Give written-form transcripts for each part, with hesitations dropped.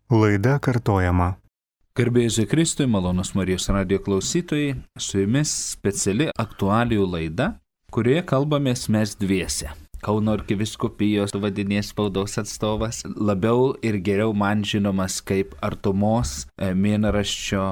Laida kartojama. Garbė Jėzui Kristui, malonus Marijos radijo klausytojai, su jumis speciali aktualijų laida, kurioje kalbamės mes dviese. Kauno arkivyskupijos vadinės spaudos atstovas, labiau ir geriau man žinomas kaip Artumos mėnraščio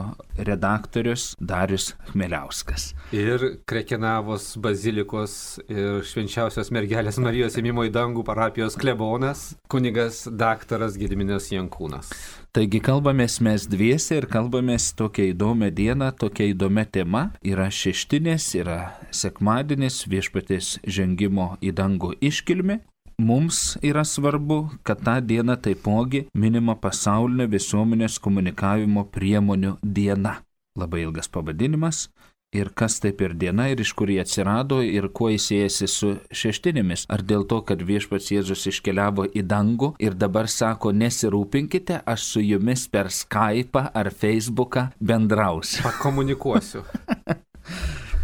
redaktorius Darius Chmieliauskas. Ir Krekenavos bazilikos ir Švenčiausios mergelės Marijos ėmimo į dangų parapijos klebonas, kunigas daktaras Gediminas Jankūnas. Taigi kalbamės mes dviese ir kalbamės tokia įdomia diena, tokia įdomia tema. Yra šeštinės, yra sekmadienis, Viešpaties žengimo į dangų iškilmė. Mums yra svarbu, kad tą dieną taipogi minima pasaulinė visuomenės komunikavimo priemonių diena. Labai ilgas pavadinimas. Ir kas tai per diena ir iš kur jie atsirado ir kuo jis siejasi su šeštinėmis. Ar dėl to, kad Viešpats Jėzus iškeliavo į dangų ir dabar sako, nesirūpinkite, aš su jumis per Skype'ą ar Facebooką bendrausiu. Pakomunikuosiu.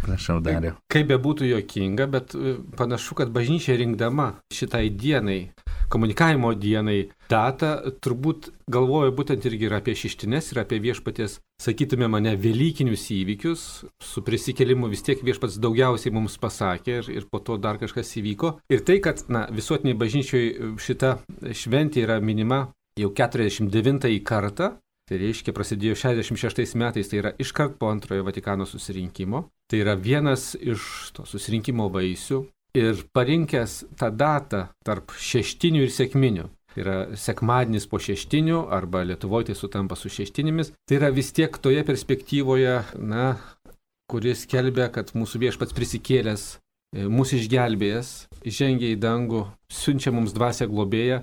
Prašau, Dariau. Kaip bebūtų juokinga, bet panašu, kad bažnyčia rinkdama šitai dienai, komunikavimo dienai datą, turbūt galvoja būtent irgi ir apie šeštines, ir apie Viešpaties, sakytume mane, velykinius įvykius. Su prisikėlimu vis tiek Viešpats daugiausiai mums pasakė ir po to dar kažkas įvyko. Ir tai, kad visuotiniai bažnyčiai šita šventė yra minima jau 49 kartą, tai reiškia prasidėjo 66 metais, tai yra iškart po antrojo Vatikano susirinkimo. Tai yra vienas iš to susirinkimo vaisių. Ir parinkęs tą datą tarp šeštinių ir sekminių, tai yra sekmadienis po šeštinių, arba Lietuvoje tai sutampa su šeštinėmis, tai yra vis tiek toje perspektyvoje, kuris skelbia, kad mūsų Viešpats prisikėlęs, mūsų išgelbėjęs, žengė į dangų, siunčia mums dvasią globėją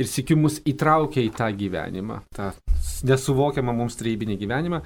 ir sykiu mus įtraukia į tą gyvenimą, tą nesuvokiamą mums trejybinį gyvenimą.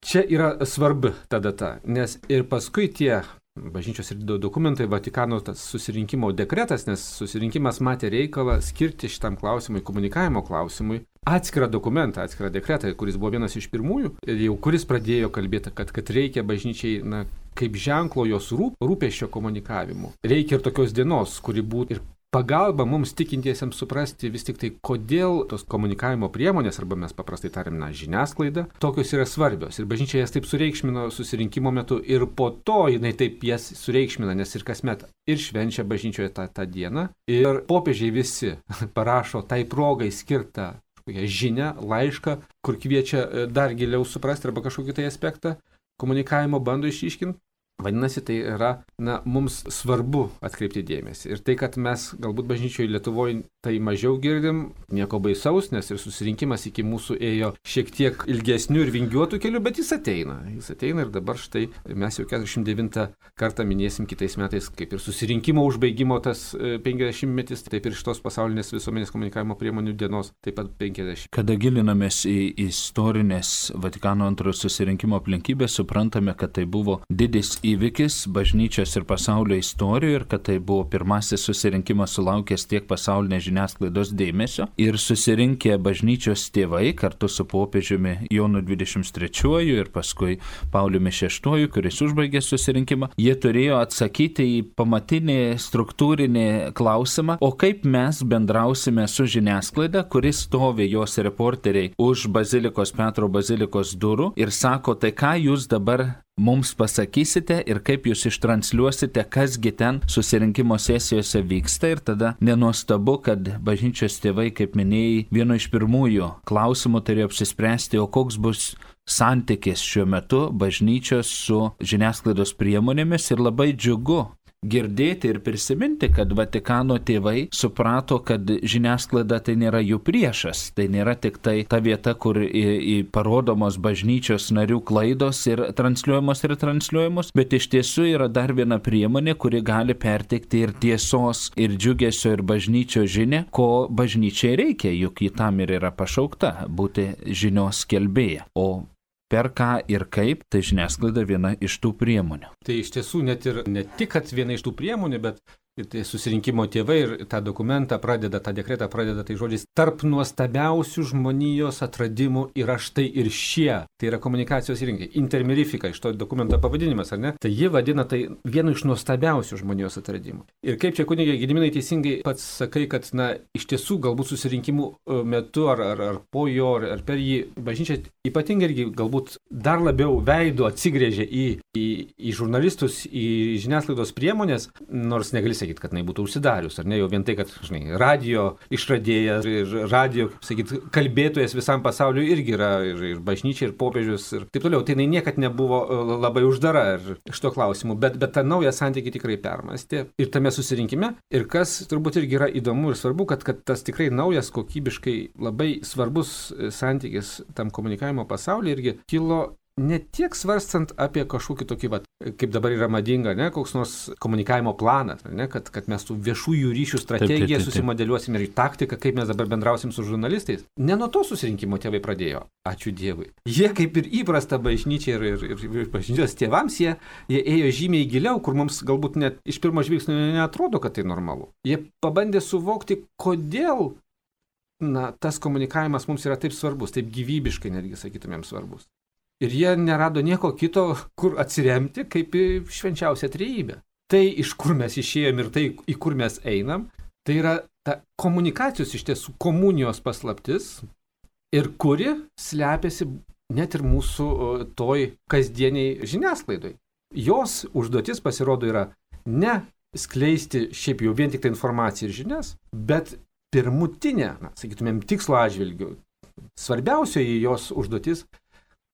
Čia yra svarbi ta data, nes ir paskui tie bažnyčios ir dokumentai, Vatikano tas susirinkimo dekretas, nes susirinkimas matė reikalą skirti šitam klausimui, komunikavimo klausimui, atskirą dokumentą, atskirą dekretą, kuris buvo vienas iš pirmųjų, jau kuris pradėjo kalbėti, kad reikia bažnyčiai, kaip ženklo jos rūpesčio komunikavimu. Reikia ir tokios dienos, kuri būtų ir pagalba mums tikintiesiems suprasti vis tik tai, kodėl tos komunikavimo priemonės, arba mes paprastai tariam, žiniasklaida, tokios yra svarbios. Ir bažnyčia jas taip sureikšmino susirinkimo metu ir po to jinai taip jas sureikšmina, nes ir kasmet ir švenčia bažnyčioje tą dieną. Ir popiežiai visi parašo tai progai skirtą žinią, laišką, kur kviečia dar giliau suprasti arba kažkokį tai aspektą komunikavimo bando išryškinti. Vadinasi, tai yra, mums svarbu atkreipti dėmesį. Ir tai, kad mes galbūt bažnyčioje Lietuvoje tai mažiau girdim, nieko baisaus, nes ir susirinkimas iki mūsų ėjo šiek tiek ilgesnių ir vingiuotų kelių, bet jis ateina. Jis ateina ir dabar štai mes jau 49 kartą minėsim kitais metais, kaip ir susirinkimo užbaigimo tas 50-metis, taip ir šitos pasaulinės visuomenės komunikavimo priemonių dienos, taip pat 50. Kada gilinamės į istorinės Vatikano antrojo susirinkimo aplinkybės, suprantame, kad tai buvo didis įvykis bažnyčios ir pasaulio istorijoje ir kad tai buvo pirmasis susirinkimas sulaukęs tiek pasaulinės žiniasklaidos dėmesio. Ir susirinkę bažnyčios tėvai kartu su popiežiumi Jonu 23 ir paskui Pauliumi VI, kuris užbaigė susirinkimą, jie turėjo atsakyti į pamatinį struktūrinį klausimą, o kaip mes bendrausime su žiniasklaida, kuris stovi jos reporteriai už Petro bazilikos durų ir sako, tai ką jūs dabar mums pasakysite ir kaip jūs ištransliuosite, kasgi ten susirinkimo sesijose vyksta. Ir tada nenuostabu, kad bažnyčios tėvai, kaip minėjai, vieno iš pirmųjų klausimų turėjo apsispręsti, o koks bus santykis šiuo metu bažnyčios su žiniasklaidos priemonėmis. Ir labai džiugu girdėti ir prisiminti, kad Vatikano tėvai suprato, kad žiniasklaida tai nėra jų priešas, tai nėra tik tai ta vieta, kur parodomos bažnyčios narių klaidos ir transliuojamos, bet iš tiesų yra dar viena priemonė, kuri gali perteikti ir tiesos, ir džiugesio, ir bažnyčios žinią, ko bažnyčiai reikia, juk ji tam ir yra pašaukta būti žinios skelbėja. O per ką ir kaip, tai žiniasklaida viena iš tų priemonių. Tai iš tiesų ne tik, kad viena iš tų priemonių, bet ir tai susirinkimo tėvai ir tą dokumentą pradeda, tą dekretą pradeda tai žodžiais: tarp nuostabiausių žmonijos atradimų yra štai ir šie. Tai yra komunikacijos įrankiai. Intermirifika, iš to dokumento pavadinimas, ar ne? Tai ji vadina tai vienu iš nuostabiausių žmonijos atradimų. Ir kaip čia kunigė Gediminai teisingai pats sakai, kad, na, iš tiesų galbūt susirinkimų metu ar po jo, ar per jį bažnyčia ypatingai irgi galbūt dar labiau veidu atsigrėžė į žurnalistus, į žiniasklaidos priemonės, nors negali sakyti, kad jinai būtų užsidarius, ar ne, jau vien tai, kad, žinai, radio išradėjas ir radio, kaip sakyti, kalbėtojas visam pasauliu irgi yra ir bažnyčia, ir popiežius, ir taip toliau. Tai jinai niekad nebuvo labai uždara šito klausimu, bet tą naują santykį tikrai permastė ir tame susirinkime. Ir kas turbūt irgi yra įdomu ir svarbu, kad tas tikrai naujas, kokybiškai labai svarbus santykis tam komunikavimo pasaulyje irgi kilo ne tiek svarstant apie kažkokį tokį, kaip dabar yra madinga, ne, koks nors komunikavimo planas, ne, kad mes tų viešųjų ryšių strategiją susimodeliuosim ir taktiką, kaip mes dabar bendrausim su žurnalistais. Ne nuo to susirinkimo tėvai pradėjo, ačiū Dievui. Jie kaip ir įprasta bažnyčia ir bažnyčios tėvams, jie ėjo žymiai giliau, kur mums galbūt net iš pirmo žvilgsnio neatrodo, kad tai normalu. Jie pabandė suvokti, kodėl, na, tas komunikavimas mums yra taip svarbus, taip gyvybiškai netgi sakytumėm svarbus. Ir jie nerado nieko kito, kur atsiremti, kaip į švenčiausią trejybę. Tai, iš kur mes išėjom ir tai, į kur mes einam, tai yra ta komunikacijos iš tiesų komunijos paslaptis ir kuri slepiasi net ir mūsų toj kasdieniai žiniasklaidoj. Jos užduotis pasirodo yra ne skleisti šiaip jau vien tik tai informaciją ir žinias, bet pirmutinė, sakytumėm, tikslo atžvilgiu, svarbiausioji jos užduotis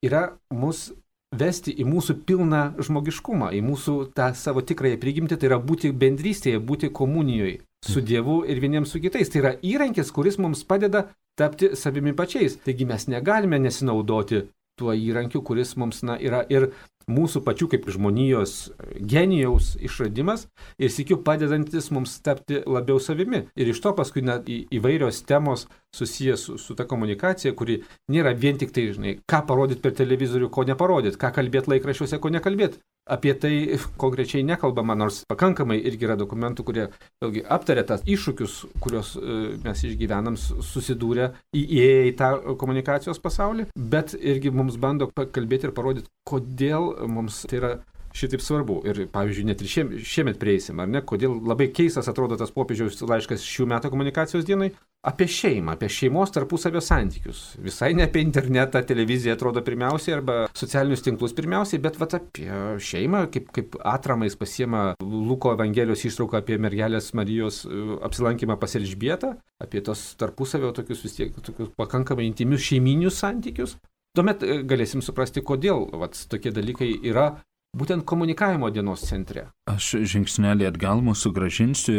yra mus vesti į mūsų pilną žmogiškumą, į mūsų tą savo tikrąją prigimtį, tai yra būti bendrystėje, būti komunijoje su Dievu ir vieniems su kitais. Tai yra įrankis, kuris mums padeda tapti savimi pačiais. Taigi mes negalime nesinaudoti tuo įrankiu, kuris mums yra ir mūsų pačių kaip žmonijos genijaus išradimas ir sykiu padedantis mums tapti labiau savimi. Ir iš to paskui įvairios temos susijęs su ta komunikacija, kuri nėra vien tik tai, žinai, ką parodyti per televizorių, ko neparodyti, ką kalbėti laikraščiuose, ko nekalbėti. Apie tai konkrečiai nekalbama, nors pakankamai irgi yra dokumentų, kurie vėlgi aptarė tas iššūkius, kuriuos mes išgyvenam, susidūrė įėję į tą komunikacijos pasaulį, bet irgi mums bando kalbėti ir parodyti, kodėl mums tai yra šitaip svarbu. Ir, pavyzdžiui, net ir šiemet prieisim, ar ne, kodėl labai keistas atrodo tas popiežiaus laiškas šių metų komunikacijos dienai apie šeimą, apie šeimos tarpusavio santykius. Visai ne apie internetą, televiziją atrodo pirmiausiai, arba socialinius tinklus pirmiausiai, bet apie šeimą, kaip atramais pasiema Luko Evangelijos ištrauką apie mergelės Marijos apsilankymą pas Elžbietą, apie tos tarpusavio tokius vis tiek tokius pakankamai intymius šeiminius santykius. Tuomet galėsim suprasti, kodėl tokie dalykai yra būtent komunikavimo dienos centre. Aš žingsnelį atgal mūsų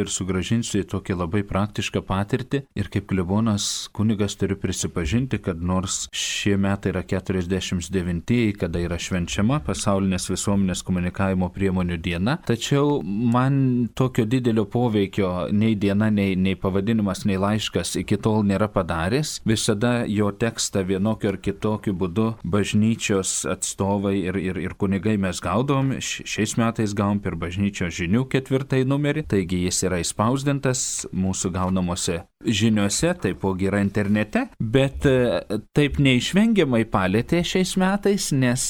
sugrąžinsiu į tokią labai praktišką patirtį ir kaip klebonas kunigas turiu prisipažinti, kad nors šie metai yra 49-ieji, kada yra švenčiama pasaulinės visuomenės komunikavimo priemonių diena, tačiau man tokio didelio poveikio nei diena, nei pavadinimas, nei laiškas iki tol nėra padaręs. Visada jo tekstą vienokiu ar kitokiu būdu bažnyčios atstovai ir kunigai mes gaudom. Šiais metais gavom per bažnyčios žinių 4 numerį, taigi jis yra įspausdintas mūsų gaunamuose žiniuose, taipogi yra internete, bet taip neišvengiamai palėtė šiais metais, nes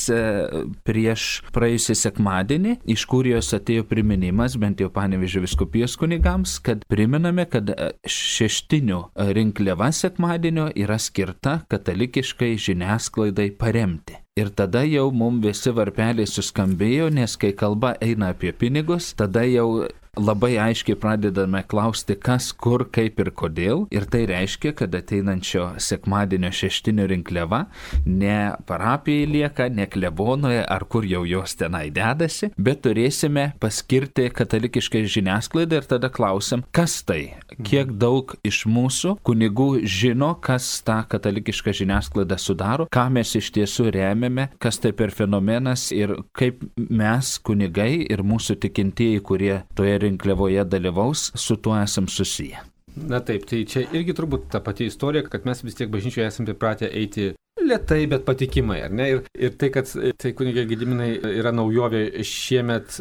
prieš praėjusį sekmadienį iš Kurijos atėjo priminimas, bent jau Panevėžio vyskupijos kunigams, kad priminame, kad šeštinių rinkliava sekmadienio yra skirta katalikiškai žiniasklaidai paremti. Ir tada jau mums visi varpeliai suskambėjo, nes kai kalba eina apie pinigus, tada jau labai aiškiai pradedame klausti, kas, kur, kaip ir kodėl. Ir tai reiškia, kad ateinančio sekmadienio šeštinio rinkliava ne parapijai lieka, ne klebonoje, ar kur jau jos tenai dedasi, bet turėsime paskirti katalikiškai žiniasklaidą ir tada klausim, kas tai, kiek daug iš mūsų kunigų žino, kas tą katalikišką žiniasklaidą sudaro, ką mes iš tiesų remiame, kas tai per fenomenas ir kaip mes kunigai ir mūsų tikintieji, kurie toje rinkliavoje dalyvaus, su tuo esam susiję. Na taip, tai čia irgi turbūt ta pati istorija, kad mes vis tiek bažnyčioje esame pripratę eiti lietai, bet patikimai, ar ne? Ir tai, kad tai kunigė Gediminai yra naujovė šiemet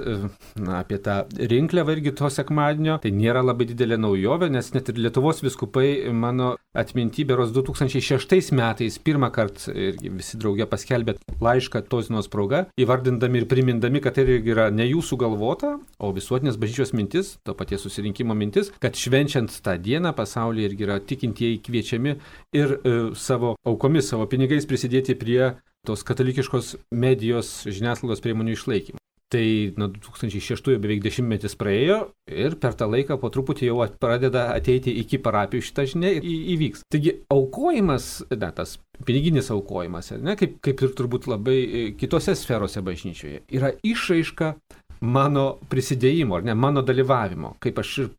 apie tą rinkliavą irgi to sekmadienio, tai nėra labai didelė naujovė, nes net ir Lietuvos vyskupai mano atminty berods 2006 metais pirmą kartą irgi visi drauge paskelbė laišką tos dienos proga, įvardindami ir primindami, kad tai irgi yra ne jų sugalvota, o visuotinės bažnyčios mintis, to paties susirinkimo mintis, kad švenčiant tą dieną pasaulyje irgi yra tikintieji kviečiami ir savo aukomis, savo pinigais prisidėti prie tos katalikiškos medijos žiniasklaidos priemonių išlaikymo. Tai nuo 2006 beveik 10 metis praėjo ir per tą laiką po truputį jau pradeda ateiti iki parapijų šitą žinia ir įvyks. Taigi aukojimas, tas piniginis aukojimas, kaip ir turbūt labai kitose sferose bažnyčioje, yra išraiška mano prisidėjimo, mano dalyvavimo, kaip aš ir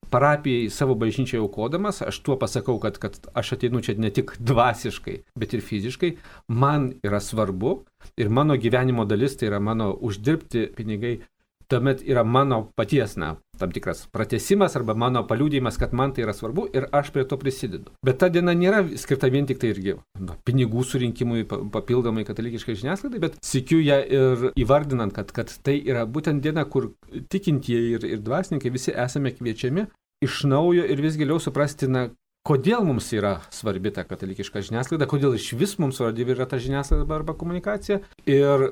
parapijai savo bažnyčiai aukodamas, aš tuo pasakau, kad aš ateinu čia ne tik dvasiškai, bet ir fiziškai, man yra svarbu ir mano gyvenimo dalis, tai yra mano uždirbti pinigai, tuomet yra mano paties, tam tikras pratęsimas arba mano paliudijimas, kad man tai yra svarbu ir aš prie to prisidedu. Bet ta diena nėra skirta vien tik tai irgi pinigų surinkimui papildomai katalikiškai žiniasklaidai, bet sykiu ją ir įvardinant, kad tai yra būtent diena, kur tikintieji ir dvasininkai visi esame kviečiami iš naujo ir vis giliau suprasti, kodėl mums yra svarbi ta katalikiška žiniasklaida, kodėl iš vis mums svarbi yra ta žiniasklaida arba komunikacija ir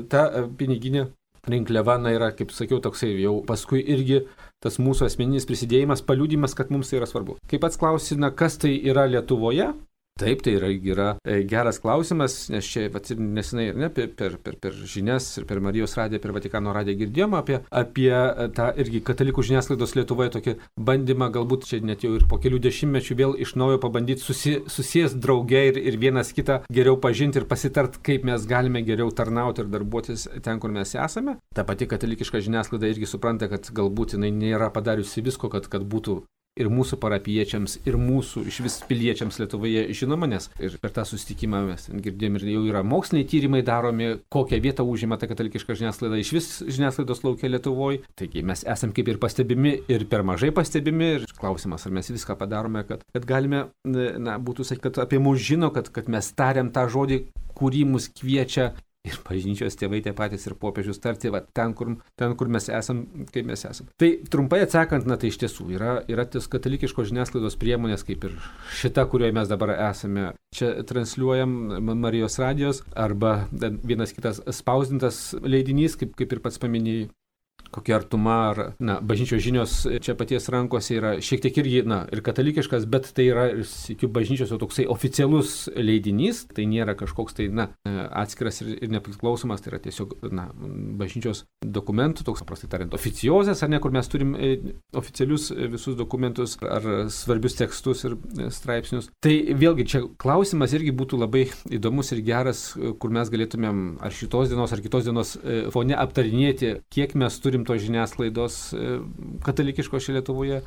ta piniginė rinkliava yra, kaip sakiau, toksai jau paskui irgi tas mūsų asmeninis prisidėjimas, paliudimas, kad mums tai yra svarbu. Kaip pats klausi, kas tai yra Lietuvoje? Taip, tai yra geras klausimas, nes čia nesenai per žinias ir per Marijos radiją, per Vatikano radiją girdėjom apie tą irgi katalikų žiniasklaidos Lietuvoje tokį bandymą, galbūt čia net jau ir po kelių dešimtmečių vėl iš naujo pabandyti susijęs drauge ir vienas kitą geriau pažinti ir pasitart, kaip mes galime geriau tarnauti ir darbuotis ten, kur mes esame. Ta pati katalikiška žiniasklaida irgi supranta, kad galbūt jinai nėra padariusi visko, kad būtų ir mūsų parapiečiams, ir mūsų iš vis piliečiams Lietuvoje žinoma, nes ir per tą susitikimą mes girdėjom ir jau yra moksliniai tyrimai daromi, kokią vietą užima ta katalikiška žiniasklaida iš vis žiniasklaidos laukia Lietuvoje. Taigi mes esam kaip ir pastebimi, ir per mažai pastebimi, ir klausimas, ar mes viską padarome, kad galime, būtų sakyti, kad apie mus žino, kad mes tariam tą žodį, kurį mus kviečia ir bažnyčios tėvai tie patys ir popiežius tarti, ten, kur mes esam, kaip mes esam. Tai trumpai atsakant, tai iš tiesų yra tos katalikiškos žiniasklaidos priemonės, kaip ir šita, kurioje mes dabar esame. Čia transliuojam Marijos radijos arba vienas kitas spausdintas leidinys, kaip ir pats paminėjai. Kokia artuma ar bažnyčios žinios čia paties rankose yra šiek tiek irgi ir katalikiškas, bet tai yra ir bažnyčios jau toksai oficialus leidinys, tai nėra kažkoks tai atskiras ir nepriklausomas, tai yra tiesiog bažnyčios dokumentų, toks paprastai tariant oficiozės, ar ne, kur mes turim oficialius visus dokumentus ar svarbius tekstus ir straipsnius. Tai vėlgi čia klausimas irgi būtų labai įdomus ir geras, kur mes galėtumėm ar šitos dienos ar kitos dienos fone aptarinėti, kiek mes turim to žiniasklaidos katalikiško šia Lietuvoje,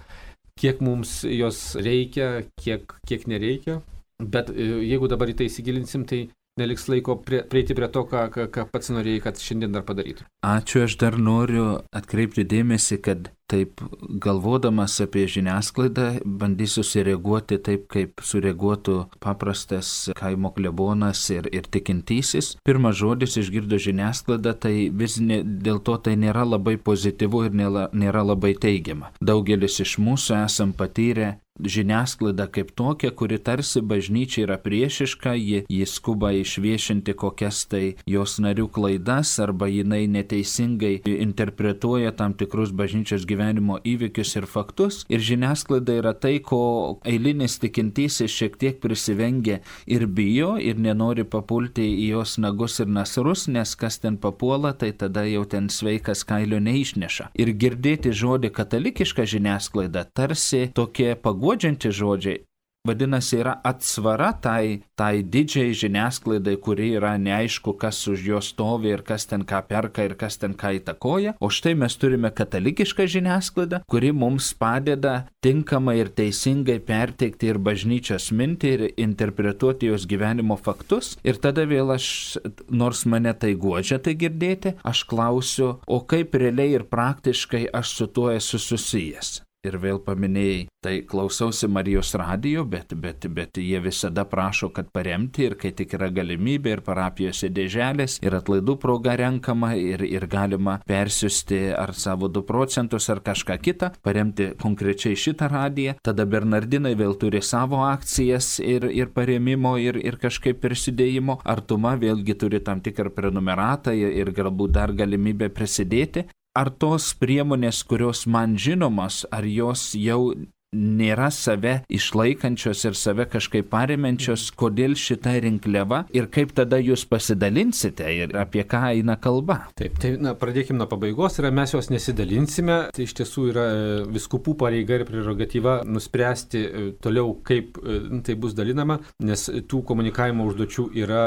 kiek mums jos reikia, kiek nereikia. Bet jeigu dabar į tai įsigilinsim, tai neliks laiko prieiti prie to, ką pats norėjai, kad šiandien dar padarytų. Ačiū, aš dar noriu atkreipti dėmesį, kad taip galvodamas apie žiniasklaidą, bandysiu sureaguoti taip, kaip sureaguotų paprastas kaimo klebonas ir tikintysis. Pirmas žodis išgirdo žiniasklaidą, tai vis dėl to tai nėra labai pozityvu ir nėra labai teigiama. Daugelis iš mūsų esam patyrę žiniasklaida kaip tokia, kuri tarsi bažnyčia yra priešiška, ji skuba išviešinti kokias tai jos narių klaidas arba jinai neteisingai interpretuoja tam tikrus bažnyčios gyvenimo įvykius ir faktus. Ir žiniasklaida yra tai, ko eilinis tikintysis šiek tiek prisivengia ir bijo ir nenori papulti į jos nagus ir nasrus, nes kas ten papuola, tai tada jau ten sveikas kailio neišneša. Ir girdėti žodį katalikiška žiniasklaida tarsi tokie paguodžianti žodžiai. Vadinasi, yra atsvara tai didžiai žiniasklaidai, kuri yra neaišku, kas už jo stovi ir kas ten ką perka ir kas ten ką įtakoja. O štai mes turime katalikišką žiniasklaidą, kuri mums padeda tinkamai ir teisingai perteikti ir bažnyčios mintį ir interpretuoti jos gyvenimo faktus. Ir tada vėl aš, nors mane tai guodžia tai girdėti, aš klausiu, o kaip realiai ir praktiškai aš su tuo esu susijęs. Ir vėl paminėjai, tai klausausi Marijos radijo, bet jie visada prašo, kad paremti ir kai tik yra galimybė ir parapijose dėželės ir atlaidų proga renkama ir galima persiųsti ar savo 2 procentus ar kažką kitą, paremti konkrečiai šitą radiją. Tada Bernardinai vėl turi savo akcijas ir paremimo ir kažkaip prisidėjimo. Artuma vėlgi turi tam tikrą prenumeratą ir galbūt dar galimybę prisidėti. Ar tos priemonės, kurios man žinomos, ar jos jau nėra save išlaikančios ir save kažkaip paremiančios, kodėl šita rinkliava ir kaip tada jūs pasidalinsite ir apie ką eina kalba? Taip, tai pradėkime nuo pabaigos, mes jos nesidalinsime, tai iš tiesų yra vyskupų pareiga ir prerogatyva nuspręsti toliau, kaip tai bus dalinama, nes tų komunikavimo užduočių yra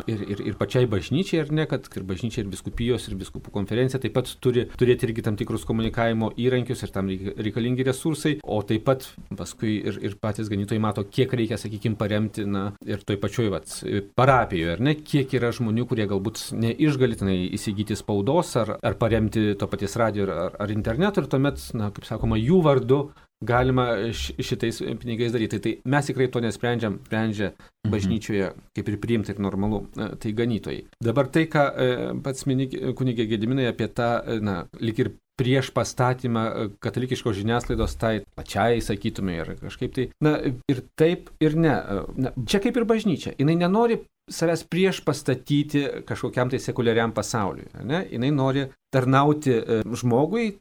ir pačiai bažnyčiai, ar ne, kad ir bažnyčiai, ir vyskupijos, ir vyskupų konferencija taip pat turi turėti irgi tam tikrus komunikavimo įrankius ir tam reikalingi resursai, o taip pat paskui ir patys ganytojai mato, kiek reikia, sakykime, paremti, ir toj pačioj parapijoje, ar ne, kiek yra žmonių, kurie galbūt neišgalitinai įsigyti spaudos ar paremti to paties radijo ar interneto ir tuomet, kaip sakoma, jų vardu galima šitais pinigais daryti. Tai mes tikrai to nesprendžiam, sprendžia bažnyčioje, kaip ir priimti ir normalu, tai ganytojai. Dabar tai, ką pats mini kunigė Gediminai apie tą, lyg ir prieš pastatymą katalikiškos žiniasklaidos tai pačiai, sakytume, ir kažkaip tai, ir taip, ir ne. Čia kaip ir bažnyčia. Jinai nenori savęs prieš pastatyti kažkokiam tai sekuliariam pasauliui. Ne? Jinai nori tarnauti žmogui,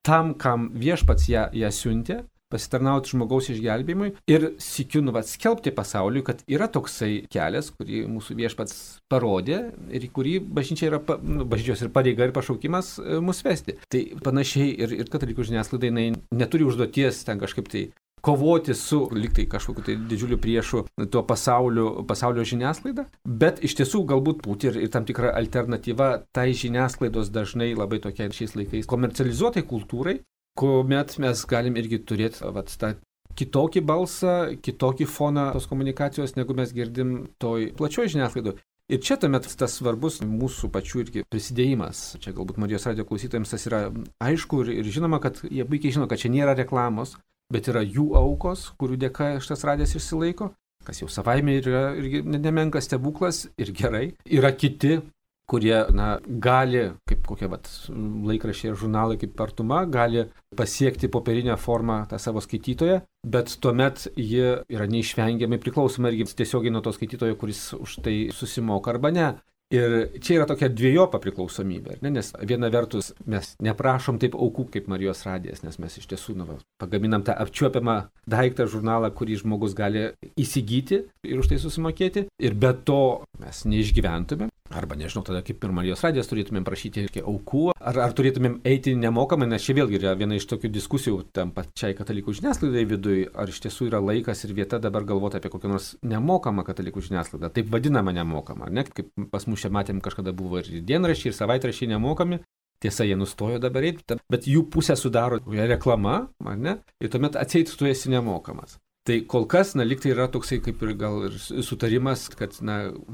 tam, kam viešpats ją siuntė, pasitarnauti žmogaus išgelbėjimui ir sykiu skelbti pasauliui, kad yra toksai kelias, kurį mūsų viešpats parodė ir į kurį bažnyčia yra, bažnyčios ir pareiga ir pašaukimas mus vesti. Tai panašiai ir katalikų žiniasklaida neturi užduoties ten kažkaip tai kovoti su liktai kažkokiu tai didžiuliu priešu tuo pasaulio žiniasklaida, bet iš tiesų galbūt būti ir tam tikra alternatyva tai žiniasklaidos dažnai labai tokia šiais laikais komercializuotai kultūrai, kuomet mes galim irgi turėti tą kitokį balsą, kitokį foną tos komunikacijos, negu mes girdim toj plačioj žiniasklaidoje. Ir čia tuomet tas svarbus mūsų pačių irgi prisidėjimas. Čia galbūt Marijos radijo klausytojams tas yra aišku ir žinoma, kad jie puikiai žino, kad čia nėra reklamos, bet yra jų aukos, kurių dėka šitas radijas išsilaiko, kas jau savaime yra irgi nemenkas stebuklas ir gerai. Yra kiti, kurie gali, kaip kokie laikraščiai ir žurnalai kaip Artuma, gali pasiekti popierinę formą tą savo skaitytoją, bet tuomet jie yra neišvengiamai priklausoma irgi tiesiogiai nuo to skaitytojo, kuris už tai susimoka arba ne. Ir čia yra tokia dviejopa priklausomybė, nes viena vertus mes neprašom taip aukų kaip Marijos radijas, nes mes iš tiesų pagaminam tą apčiuopiamą daiktą, žurnalą, kurį žmogus gali įsigyti ir už tai susimokėti, ir be to mes neišgyventumėm. Arba nežinau, tada kaip ir Marijos radijas turėtumėm prašyti aukų, ar turėtumėm eiti nemokamai, nes čia vėlgi yra viena iš tokių diskusijų tam pačiai katalikų žiniasklaidai viduje, ar iš tiesų yra laikas ir vieta dabar galvoti apie kokią nors nemokamą katalikų žiniasklaidą, taip vadinamą nemokamą, ne? Kaip pas mus čia matėm, kažkada buvo ir dienraščiai, ir savaitraščiai nemokami, tiesa, jie nustojo dabar eiti, bet jų pusę sudaro reklama, ne? Ir tuomet atseit tu esi nemokamas. Tai kol kas, lyg tai yra toksai kaip ir gal ir sutarimas, kad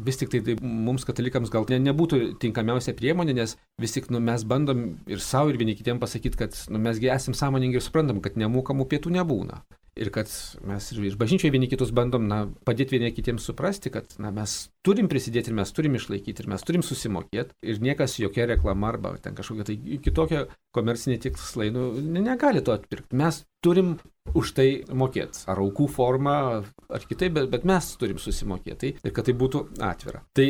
vis tik tai mums katalikams gal nebūtų tinkamiausia priemonė, nes vis tik mes bandom ir savo ir vieni kitiem pasakyti, kad mesgi esam sąmoningi ir suprantam, kad nemokamų pietų nebūna. Ir kad mes ir iš bažnyčioje vieni kitus bandom padėti vieni kitiems suprasti, kad mes turim prisidėti ir mes turim išlaikyti ir mes turim susimokėti ir niekas jokia reklama arba ten kažkokia tai kitokia komercinė tikslai negali to atpirkti. Mes turim už tai mokėti, ar aukų formą, ar kitaip, bet mes turim susimokėti ir kad tai būtų atvira. Tai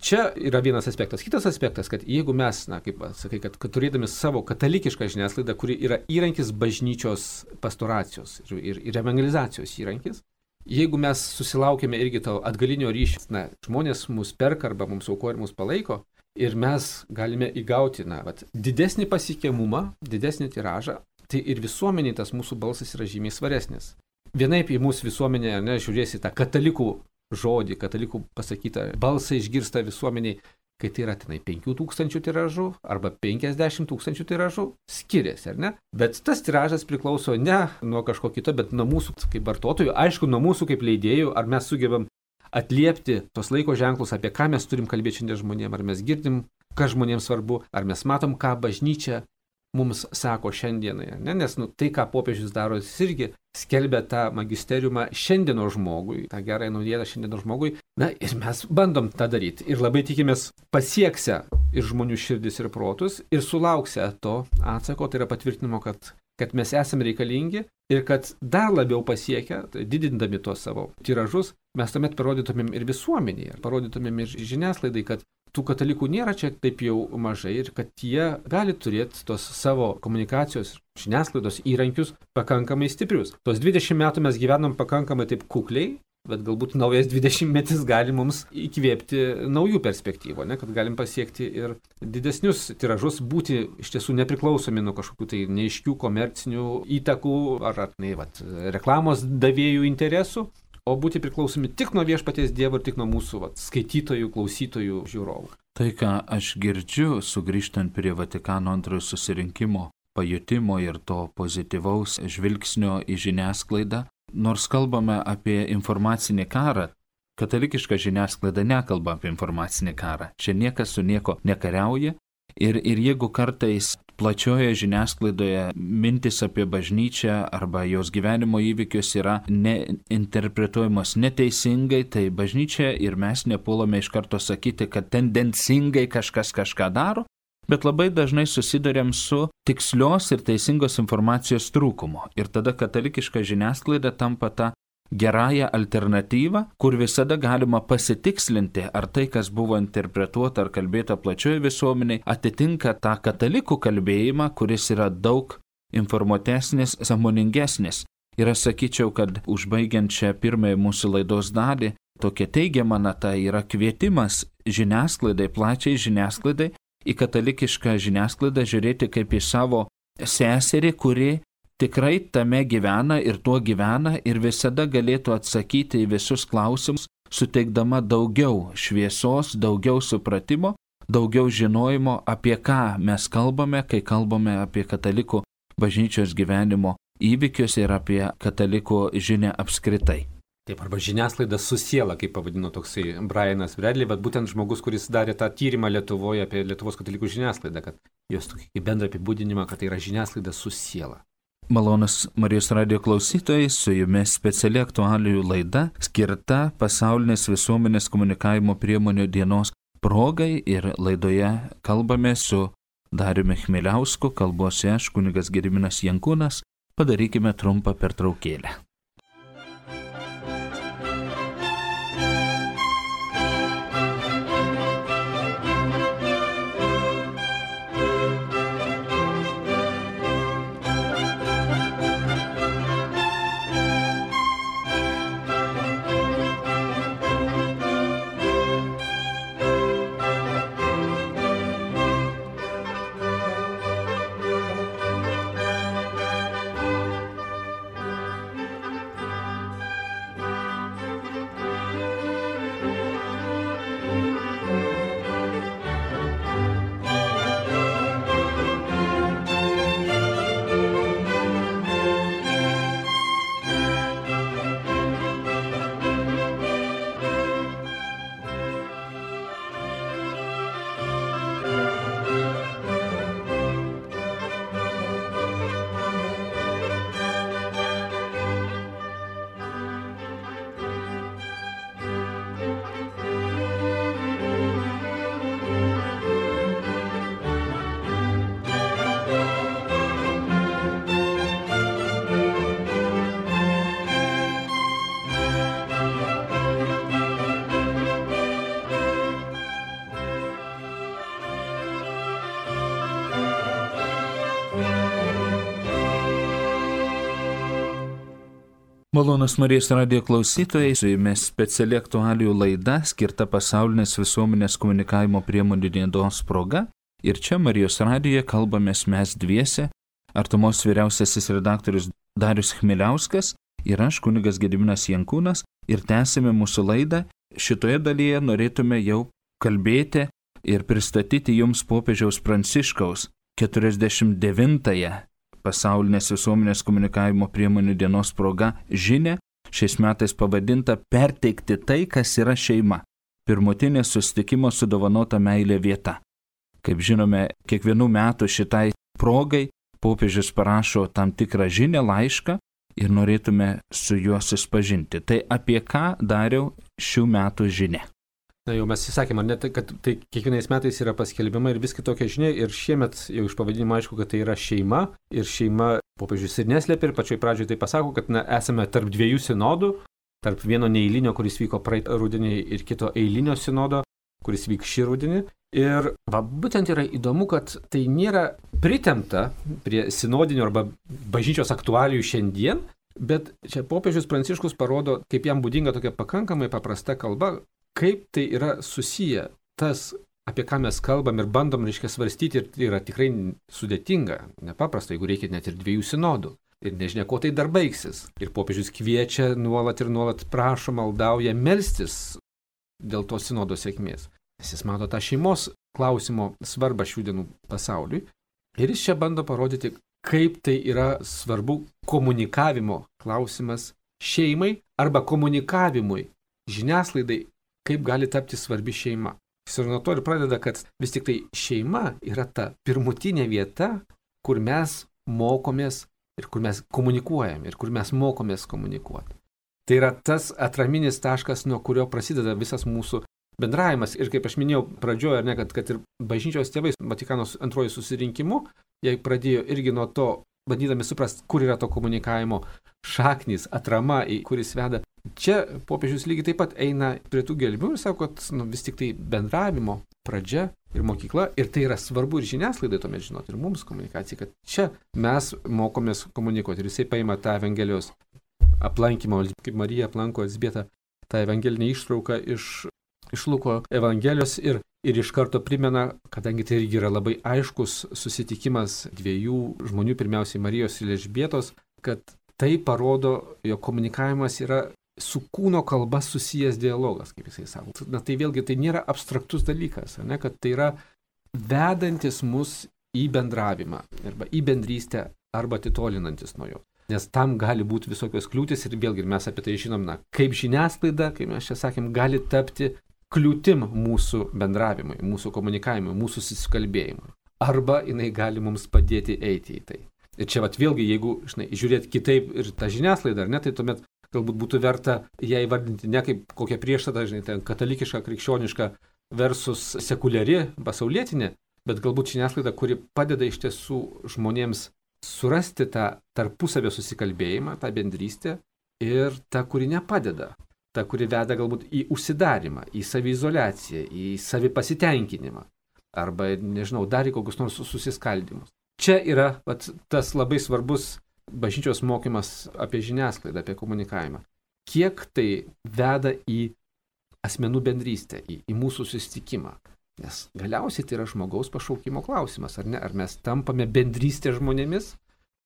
čia yra vienas aspektas. Kitas aspektas, kad jeigu mes, kaip sakai, kad turėdami savo katalikišką žiniasklaidą, kuri yra įrankis bažnyčios pastoracijos ir evangelizacijos įrankis, jeigu mes susilaukėme irgi to atgalinio ryšio, žmonės mus perka arba mums aukoja ir mus palaiko, ir mes galime įgauti didesnį pasiekiamumą, didesnį tiražą, tai ir visuomeniai tas mūsų balsas yra žymiai svaresnis. Vienaip į mūsų visuomenę žiūrėsi tą katalikų žodį, katalikų pasakytą balsą išgirsta visuomeniai, kai tai yra 5000 tiražų arba 50 000 tiražų, skiriasi, ar ne? Bet tas tiražas priklauso ne nuo kažko kito, bet nuo mūsų kaip vartotojų, aišku, nuo mūsų kaip leidėjų, ar mes sugebam atliepti tos laiko ženklus, apie ką mes turim kalbėti šiandien žmonėms, ar mes girdim, kas žmonėms svarbu, ar mes matom, ką bažnyčia mums sako šiandienai, ne? Nes tai, ką popiežius daro, jis irgi skelbia tą magisteriumą šiandienos žmogui, tą gerąją naujieną šiandienos žmogui. Na ir mes bandom tą daryti ir labai tikimės pasieksę ir žmonių širdis ir protus ir sulauksę to atsako, tai yra patvirtinimo, kad mes esame reikalingi ir kad dar labiau pasiekę, didindami tuos savo tiražus, mes tuomet parodytumėm ir visuomenėje, parodytumėm ir žiniasklaidai, kad tų katalikų nėra čia taip jau mažai ir kad jie gali turėti tos savo komunikacijos, žiniasklaidos įrankius pakankamai stiprius. Tos 20 metų mes gyvenom pakankamai taip kukliai, bet galbūt naujas 20 metis gali mums įkvėpti naujų perspektyvų, kad galim pasiekti ir didesnius tiražus, būti iš tiesų nepriklausomi nuo kažkokių tai neaiškių komercinių įtakų ar reklamos davėjų interesų, o būti priklausomi tik nuo viešpaties Dievo ir tik nuo mūsų skaitytojų, klausytojų, žiūrovų. Tai, ką aš girdžiu, sugrįžtant prie Vatikano antrojo susirinkimo pajutimo ir to pozityvaus žvilgsnio į žiniasklaidą, nors kalbame apie informacinį karą, katalikiška žiniasklaida nekalba apie informacinį karą. Čia niekas su nieko nekariauja ir jeigu kartais plačioje žiniasklaidoje mintis apie bažnyčią arba jos gyvenimo įvykius yra neinterpretuojamos neteisingai, tai bažnyčia ir mes nepuolame iš karto sakyti, kad tendencingai kažkas kažką daro, bet labai dažnai susiduriam su tikslios ir teisingos informacijos trūkumu. Ir tada katalikiška žiniasklaida tampa ta gerąją alternatyvą, kur visada galima pasitikslinti, ar tai, kas buvo interpretuota ar kalbėta plačioje visuomeniai, atitinka tą katalikų kalbėjimą, kuris yra daug informuotesnis, sąmoningesnis. Ir aš sakyčiau, kad užbaigiant šią pirmąją mūsų laidos dalį, tokia teigiama nata yra kvietimas žiniasklaidai, plačiai žiniasklaidai, į katalikišką žiniasklaidą žiūrėti kaip į savo seserį, kuri tikrai tame gyvena ir tuo gyvena ir visada galėtų atsakyti į visus klausimus, suteikdama daugiau šviesos, daugiau supratimo, daugiau žinojimo, apie ką mes kalbame, kai kalbame apie katalikų bažnyčios gyvenimo įvykius ir apie katalikų žinią apskritai. Taip, arba žiniasklaida su siela, kaip pavadino toksai Brianas Bradley, bet būtent žmogus, kuris darė tą tyrimą Lietuvoje apie Lietuvos katalikų žiniasklaidą, kad jos tokį bendrą apibūdinimą, kad tai yra žiniasklaida su siela. Malonus Marijos radijo klausytojai, su jumis speciali aktualijų laida skirta pasaulinės visuomenės komunikavimo priemonių dienos progai ir laidoje kalbame su Dariumi Chmieliausku, kalbuosi aš, kunigas Gediminas Jankūnas. Padarykime trumpą pertraukėlę. Malonus Marijos radijo klausytojai, su jumis speciali aktualijų laida skirta pasaulinės visuomenės komunikavimo priemonių dienos proga. Ir čia Marijos radijoje kalbamės mes dviese, artumos vyriausiasis redaktorius Darius Chmieliauskas ir aš, kunigas Gediminas Jankūnas, ir tęsime mūsų laidą. Šitoje dalyje norėtume jau kalbėti ir pristatyti jums popiežiaus Pranciškaus 49-ąją pasaulinės visuomenės komunikavimo priemonių dienos proga žinią, šiais metais pavadinta Perteikti tai, kas yra šeima. Pirmutinė susitikimo su dovanota meilė vieta. Kaip žinome, kiekvienų metų šitai progai popiežius parašo tam tikrą žinią, laišką ir norėtume su juo susipažinti. Tai apie ką, Dariau, šių metų žinia? Na jau mes įsakėme, kad tai kiekvienais metais yra paskelbiama ir vis kitokia žinia ir šiemet jau iš pavadinimo aišku, kad tai yra šeima ir šeima popiežius ir neslėpia ir pačioj pradžioje tai pasako, kad esame tarp dviejų sinodų, tarp vieno neeilinio, kuris vyko praeitą rudenį ir kito eilinio sinodo, kuris vyks šį rudenį. Ir būtent yra įdomu, kad tai nėra pritempta prie sinodinio arba bažnyčios aktualijų šiandien, bet čia popiežius Pranciškus parodo, kaip jam būdinga tokia pakankamai paprasta kalba, kaip tai yra susiję tas, apie ką mes kalbam ir bandom, svarstyti, ir tai yra tikrai sudėtinga, nepaprasta, jeigu reikia net ir 2 sinodų. Ir nežinia, ko tai dar baigsis. Ir popiežius kviečia nuolat ir nuolat prašo, maldauja melstis dėl to sinodo sėkmės. Nes jis mato tą šeimos klausimo svarbą šių dienų pasauliui. Ir jis čia bando parodyti, kaip tai yra svarbu komunikavimo klausimas šeimai arba komunikavimui žiniasklaidai, kaip gali tapti svarbi šeima. Jis ir nuo to ir pradeda, kad vis tik tai šeima yra ta pirmutinė vieta, kur mes mokomės ir kur mes komunikuojam ir kur mes mokomės komunikuoti. Tai yra tas atraminis taškas, nuo kurio prasideda visas mūsų bendravimas. Ir kaip aš minėjau pradžioje, kad ir bažnyčios tėvai Vatikano antrojo susirinkimu, jie pradėjo irgi nuo to, bandydami suprasti, kur yra to komunikavimo šaknis, atrama, kuris veda. Čia popiežius lygiai taip pat eina prie tų gelmių ir sako, kad vis tik tai bendravimo pradžia ir mokykla, ir tai yra svarbu ir žiniasklaidai tuomet žinoti, ir mums komunikacijai, kad čia mes mokomės komunikuoti. Ir jisai paima tą Evangelijos aplankymą, kaip Marija aplanko Elzbietą, tą evangelinę ištrauką iš Luko Evangelijos ir iš karto primena, kadangi tai irgi yra labai aiškus susitikimas 2 žmonių, pirmiausiai Marijos ir Elžbietos, kad tai parodo, jo komunikavimas yra su kūno kalba susijęs dialogas, kaip jisai sako. Na tai vėlgi tai nėra abstraktus dalykas, kad tai yra vedantis mus į bendravimą arba į bendrystę arba atitolinantis nuo jo. Nes tam gali būti visokios kliūtis ir vėlgi mes apie tai žinom, kaip žiniasklaida, kaip mes čia sakėm, gali tapti kliūtim mūsų bendravimui, mūsų komunikavimui, mūsų susikalbėjimui. Arba jinai gali mums padėti eiti į tai. Ir čia vėlgi, jeigu žiūrėti kitaip ir tą žiniasklaidą, tai tuomet galbūt būtų verta ją įvardinti ne kaip kokią priešstatą, katalikišką, krikščionišką versus sekuliari, pasaulietinė, bet galbūt žiniasklaida, kuri padeda iš tiesų žmonėms surasti tą tarpusavio susikalbėjimą, tą bendrystę, ir ta, kuri nepadeda, ta, kuri veda galbūt į užsidarimą, į saviizoliaciją, į savipasitenkinimą, arba, dar į kokius nors susiskaldymus. Čia yra tas labai svarbus bažnyčios mokymas apie žiniasklaidą, apie komunikavimą. Kiek tai veda į asmenų bendrystę, į mūsų susitikimą. Nes galiausiai tai yra žmogaus pašaukimo klausimas, ar ne? Ar mes tampame bendrystė žmonėmis,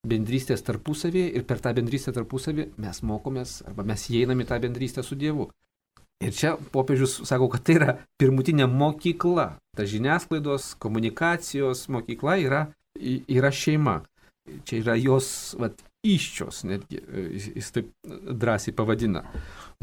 bendrystės tarpusavėje, ir per tą bendrystę tarpusavį mes mokomės, arba mes įeiname į tą bendrystę su Dievu. Ir čia popiežius sako, kad tai yra pirmutinė mokykla. Ta žiniasklaidos, komunikacijos mokykla yra šeima. Čia yra jos įsčios, netgi jis taip drąsiai pavadina.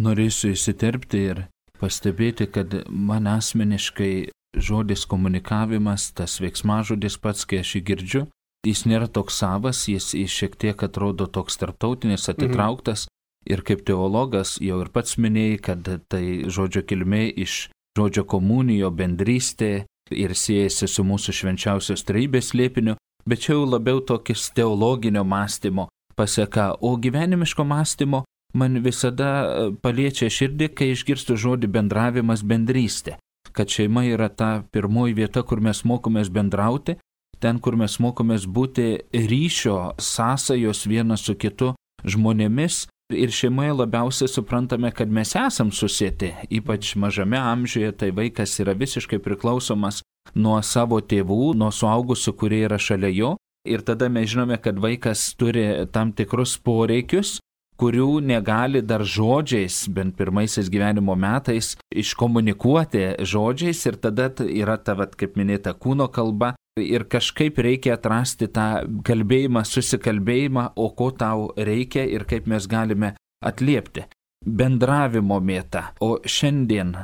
Norėsiu įsiterpti ir pastebėti, kad man asmeniškai žodis komunikavimas, tas veiksmažodis pats, kai aš jį girdžiu, jis nėra toks savas, jis šiek tiek atrodo toks tarptautinis, atitrauktas. Ir kaip teologas jau ir pats minėjai, kad tai žodžio kilmė iš žodžio komunijo, bendrystė, ir siejasi su mūsų švenčiausios trejybės slėpiniu. Bet čia jau labiau tokis teologinio mąstymo paseka, o gyvenimiško mąstymo man visada paliečia širdį, kai išgirstu žodį bendravimas, bendrystė. Kad šeima yra ta pirmoji vieta, kur mes mokomės bendrauti, ten, kur mes mokomės būti ryšio, sąsajos vienas su kitu žmonėmis. Ir šeimoje labiausiai suprantame, kad mes esam susieti, ypač mažame amžiuje, tai vaikas yra visiškai priklausomas nuo savo tėvų, nuo suaugusių, kurie yra šalia jo. Ir tada mes žinome, kad vaikas turi tam tikrus poreikius, kurių negali dar žodžiais, bent pirmaisiais gyvenimo metais, iškomunikuoti žodžiais. Ir tada yra ta, kaip minėta, kūno kalba. Ir kažkaip reikia atrasti tą kalbėjimą, susikalbėjimą, o ko tau reikia ir kaip mes galime atliepti. Bendravimo mėta. O šiandien,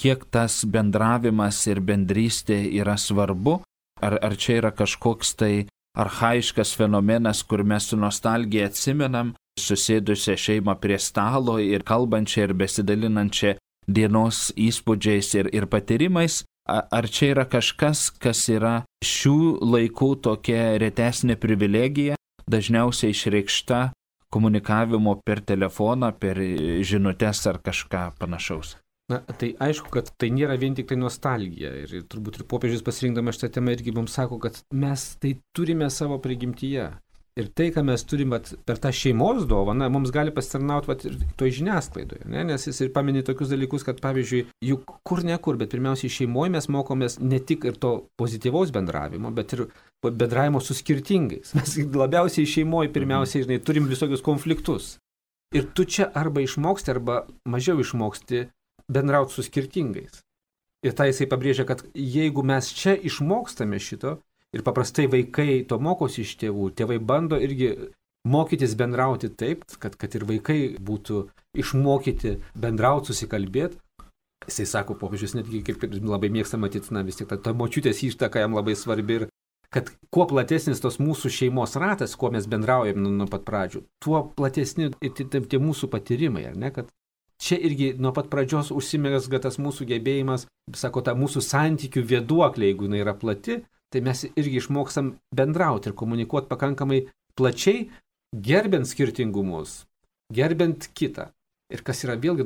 kiek tas bendravimas ir bendrystė yra svarbu, ar čia yra kažkoks tai archaiškas fenomenas, kur mes su nostalgija atsimenam susėdusią šeimą prie stalo ir kalbančią ir besidalinančią dienos įspūdžiais ir patyrimais. Ar čia yra kažkas, kas yra šių laikų tokia retesnė privilegija, dažniausiai išreikšta komunikavimo per telefoną, per žinutes ar kažką panašaus? Na, tai aišku, kad tai nėra vien tik tai nostalgija. Ir turbūt ir popiežius pasirinkdamas šitą temą irgi mums sako, kad mes tai turime savo prigimtyje. Ir tai, ką mes turime per tą šeimos dovaną, mums gali pasitarnauti ir toj žiniasklaidoje. Ne? Nes jis ir paminė tokius dalykus, kad pavyzdžiui, juk kur nekur, bet pirmiausiai šeimoje mes mokomės ne tik ir to pozityvaus bendravimo, bet ir bendravimo su skirtingais. Mes labiausiai šeimoje pirmiausiai, turim visokius konfliktus. Ir tu čia arba išmoksti, arba mažiau išmoksti bendrauti su skirtingais. Ir tai jisai pabrėžia, kad jeigu mes čia išmokstame šito, ir paprastai vaikai to mokosi iš tėvų, tėvai bando irgi mokytis bendrauti taip, kad ir vaikai būtų išmokyti bendrauti, susikalbėti. Jisai sako, popiežius netgi kaip labai mėgsta matyti, vis tik ta močiutės įštaka jam labai svarbi ir kad kuo platesnis tos mūsų šeimos ratas, kuo mes bendraujam nuo pat pradžių, tuo platesni tie mūsų patyrimai, ar ne, kad čia irgi nuo pat pradžios užsimezga tas mūsų gebėjimas, sako, ta mūsų santykių vėduoklė, jeigu jinai yra plati, tai mes irgi išmokstam bendrauti ir komunikuoti pakankamai plačiai, gerbent skirtingumus, gerbent kitą. Ir kas yra vėlgi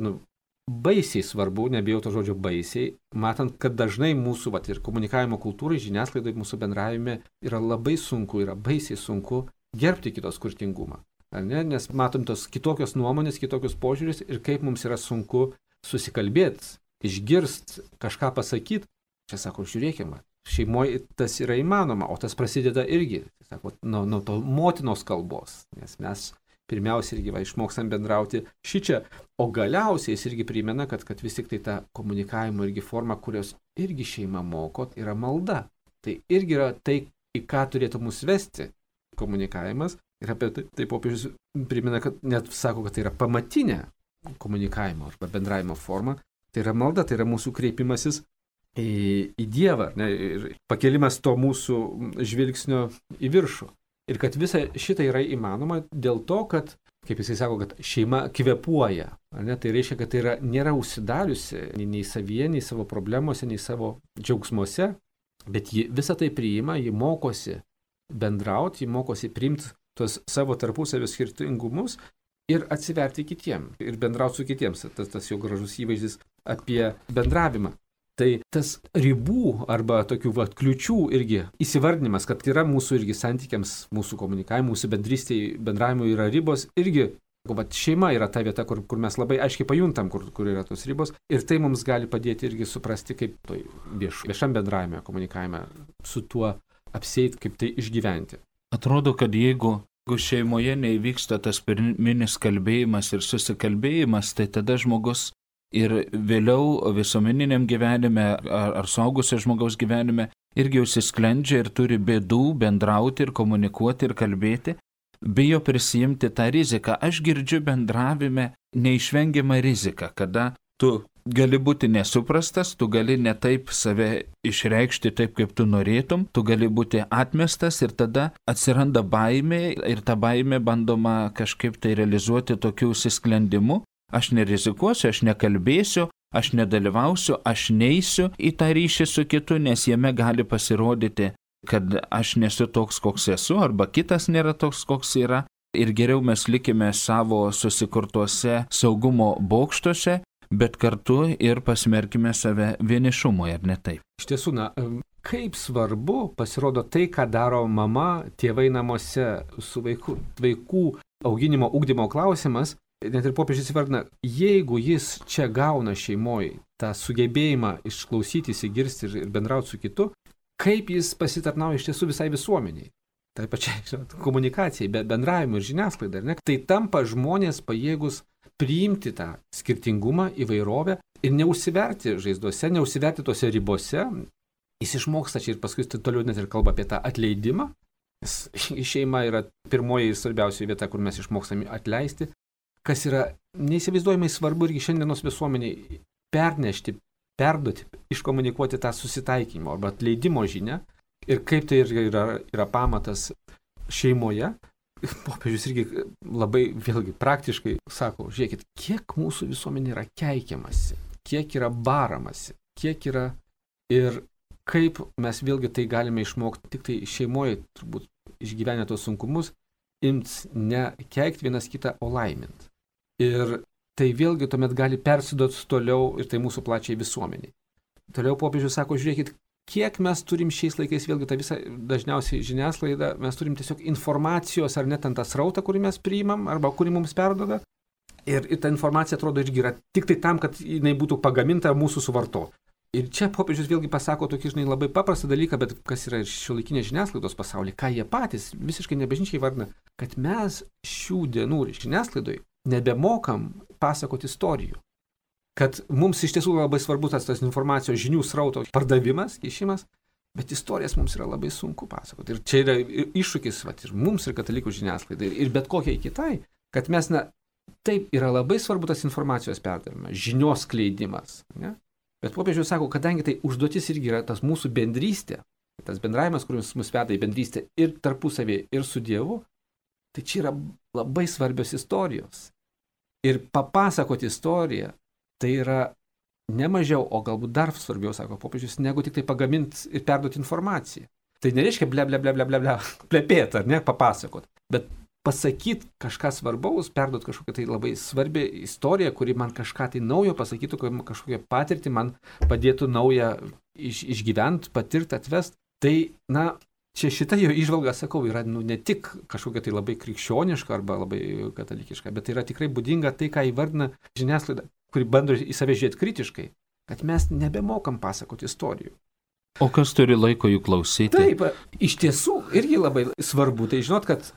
baisiai svarbu, nebijau to žodžio baisiai, matant, kad dažnai mūsų ir komunikavimo kultūrai, žiniasklaidai, mūsų bendravime yra labai sunku, yra baisiai sunku gerbti kito skirtingumą. Nes matom tos kitokios nuomonės, kitokius požiūris ir kaip mums yra sunku susikalbėti, išgirsti, kažką pasakyti. Čia sako, žiūrėkime, šeimoje tas yra įmanoma, o tas prasideda irgi, sako, nuo to motinos kalbos, nes mes pirmiausia irgi išmokstam bendrauti šičia, o galiausiai jis irgi primena, kad vis tik tai ta komunikavimo irgi forma, kurios irgi šeima moko, yra malda. Tai irgi yra tai, į ką turėtų mus vesti komunikavimas, ir apie tai popiežius primena, kad net sako, kad tai yra pamatinė komunikavimo arba bendravimo forma, tai yra malda, tai yra mūsų kreipimasis į Dievą, ne, ir pakelimas to mūsų žvilgsnio į viršų. Ir kad visa šita yra įmanoma dėl to, kad, kaip jisai sako, kad šeima kvėpuoja. Ne, tai reiškia, kad tai nėra užsidariusi nei savyje, nei savo problemuose, nei savo džiaugsmuose, bet ji visą tai priima, ji mokosi bendrauti, ji mokosi priimti tos savo tarpusavio skirtingumus ir atsiverti kitiem, ir bendrauti su kitiems. Tas jau gražus įvaizdis apie bendravimą. Tai tas ribų arba tokių kliučių irgi įsivardinimas, kad yra mūsų irgi santykiams, mūsų komunikavimui, mūsų bendrystėj, bendravimui yra ribos, irgi šeima yra ta vieta, kur mes labai aiškiai pajuntam, kur yra tos ribos, ir tai mums gali padėti irgi suprasti, kaip viešam bendravime, komunikavime su tuo apsieiti, kaip tai išgyventi. Atrodo, kad jeigu šeimoje neįvyksta tas pirminis kalbėjimas ir susikalbėjimas, tai tada žmogus ir vėliau visuomeniniam gyvenime ar suaugusio žmogaus gyvenime irgi užsisklendžia ir turi bėdų bendrauti ir komunikuoti ir kalbėti, bijo prisijimti tą riziką. Aš girdžiu bendravime neišvengiamą riziką, kada tu gali būti nesuprastas, tu gali ne taip save išreikšti taip, kaip tu norėtum, tu gali būti atmestas ir tada atsiranda baimė ir tą baimę bandoma kažkaip tai realizuoti tokiu užsisklendimu. Aš nerizikuosiu, aš nekalbėsiu, aš nedalyvausiu, aš neisiu į tą ryšį su kitu, nes jame gali pasirodyti, kad aš nesu toks, koks esu, arba kitas nėra toks, koks yra. Ir geriau mes likime savo susikurtuose saugumo bokštuose, bet kartu ir pasmerkime save vienišumui, ar ne taip? Iš tiesų, kaip svarbu pasirodo tai, ką daro mama, tėvai namuose su vaikų auginimo, ugdymo klausimas. Net ir popiežius įvardina, jeigu jis čia gauna šeimoje tą sugebėjimą išklausyti, įsigirsti ir bendrauti su kitu, kaip jis pasitarnauja iš tiesų visai visuomeniai. Tai pačiai komunikacijai, bendravimui ir žiniasklaidai. Tai tampa žmonės pajėgus priimti tą skirtingumą, įvairovę ir neužsiverti žaizdose, neužsiverti tose ribose. Jis išmoksta čia ir paskui toliau net ir kalba apie tą atleidimą. Nes šeima yra pirmoji ir svarbiausia vieta, kur mes išmokstame atleisti. Kas yra neįsivaizduojamai svarbu irgi šiandienos visuomeniai pernešti, perduoti, iškomunikuoti tą susitaikymo arba atleidimo žinią Ir kaip tai yra pamatas šeimoje, popiežius irgi labai vėlgi praktiškai sako, žiūrėkit, kiek mūsų visuomenė yra keikiamasi, kiek yra baramasi, kiek yra ir kaip mes vėlgi tai galime išmokti tik tai šeimoje, turbūt išgyvenę tos sunkumus, imt ne keikti vienas kitą, o laimint. Ir tai vėlgi tuomet gali persiduoti toliau ir tai mūsų plačiai visuomeniai. Toliau popiežius sako, žiūrėkit, kiek mes turim šiais laikais, vėlgi tą visą dažniausiai žiniasklaidą, mes turim tiesiog informacijos ar net ant tą srautą, kurį mes priimam arba kurį mums perduoda. Ir ta informacija atrodo irgi yra tik tai tam, kad jinai būtų pagaminta mūsų suvarto. Ir čia popiežius vėlgi pasako tokį, labai paprastą dalyką, bet kas yra ir šiuolaikinės žiniasklaidos pasaulyje, ką jie patys visiškai nebažnyčiai vardina, kad mes šių dienų žiniasklaidoje nebemokam pasakoti istorijų. Kad mums iš tiesų labai svarbu tas informacijos žinių srauto pardavimas, kišimas, bet istorijas mums yra labai sunku pasakoti. Ir čia yra iššūkis ir mums, ir katalikų žiniasklaidai, ir bet kokiai kitai, kad mes, taip yra labai svarbu tas informacijos perdavimas, žinios skleidimas. Ne? Bet popiežius sako, kadangi tai užduotis irgi yra tas mūsų bendrystė, tas bendravimas, kuris mus veda į bendrystę ir tarpusavėje, ir su Dievu, tai čia yra labai svarbios istorijos. Ir papasakoti istoriją, tai yra ne mažiau, o galbūt dar svarbiau, sako popiežius, negu tik tai pagaminti ir perduoti informaciją. Tai nereiškia plepėti, ar ne, papasakot, bet pasakyti kažką svarbaus, perduoti kažkokią tai labai svarbią istoriją, kuri man kažką tai naujo pasakytų, kažkokią patirtį man padėtų naują išgyventi, patirti, atvesti. Tai, čia šita jo įžvalga, sakau, yra ne tik kažkokia tai labai krikščioniška arba labai katalikiška, bet tai yra tikrai būdinga tai, ką įvardina žiniasklaida, kuri bando į save žiūrėti kritiškai, kad mes nebemokam pasakoti istorijų. O kas turi laiko jų klausyti? Taip, iš tiesų irgi labai svarbu, tai žinot, kad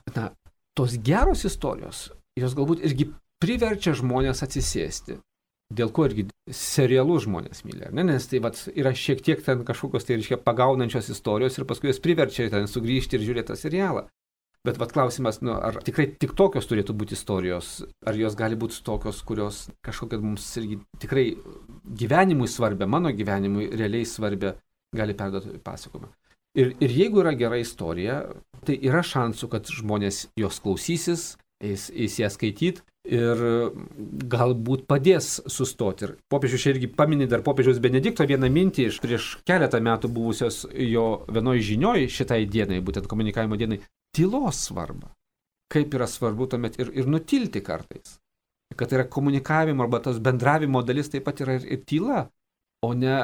tos geros istorijos, jos galbūt irgi priverčia žmonės atsisėsti. Dėl ko irgi serialus žmonės myli, ne? Nes tai yra šiek tiek ten kažkokios tai pagaunančios istorijos ir paskui jos priverčia ten sugrįžti ir žiūrėti tą serialą. Bet klausimas, ar tikrai tik tokios turėtų būti istorijos, ar jos gali būti tokios, kurios kažkokia mums irgi tikrai gyvenimui svarbia, mano gyvenimui realiai svarbia, gali perduoti pasakojimą. Ir jeigu yra gera istorija, tai yra šansų, kad žmonės jos klausysis, eis ją skaityti ir galbūt padės sustoti. Ir popiežius čia irgi paminė dar popiežiaus Benedikto vieną mintį iš prieš keletą metų buvusios jo vienoj žinioj šitai dienai, būtent komunikavimo dienai, tylos svarbą. Kaip yra svarbu tuomet ir nutilti kartais. Kad yra komunikavimo arba tos bendravimo dalis taip pat yra ir tyla, o ne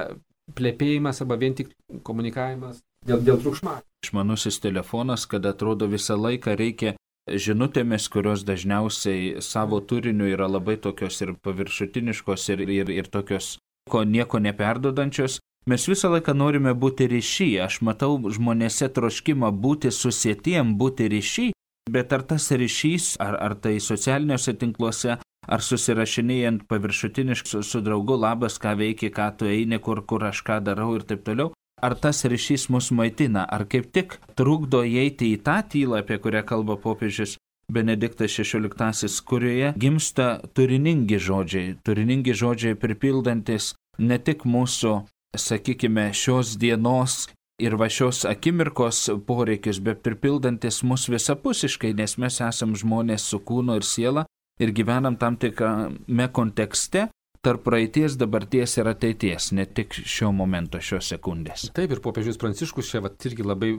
plepėjimas arba vien tik komunikavimas dėl triukšmo. Išmanusis telefonas, kad atrodo visą laiką reikia žinutėmis, kurios dažniausiai savo turiniu yra labai tokios ir paviršutiniškos ir tokios nieko neperdodančios. Mes visą laiką norime būti ryšy. Aš matau žmonėse troškimą būti susietiem, būti ryšy, bet ar tas ryšys, ar tai socialiniuose tinkluose, ar susirašinėjant paviršutiniškai su draugu, labas, ką veiki, ką tu eini, kur aš ką darau ir taip toliau. Ar tas ryšys mus maitina, ar kaip tik trukdo įeiti į tą tylą, apie kurią kalba popiežius Benediktas XVI, kurioje gimsta turiningi žodžiai pripildantis ne tik mūsų, sakykime, šios dienos ir šios akimirkos poreikius, bet pripildantis mus visapusiškai, nes mes esam žmonės su kūnu ir siela ir gyvenam tam tikrame kontekste, tarp praeities, dabarties ir ateities, ne tik šio momento, šios sekundės. Taip, ir popiežius Pranciškus čia irgi labai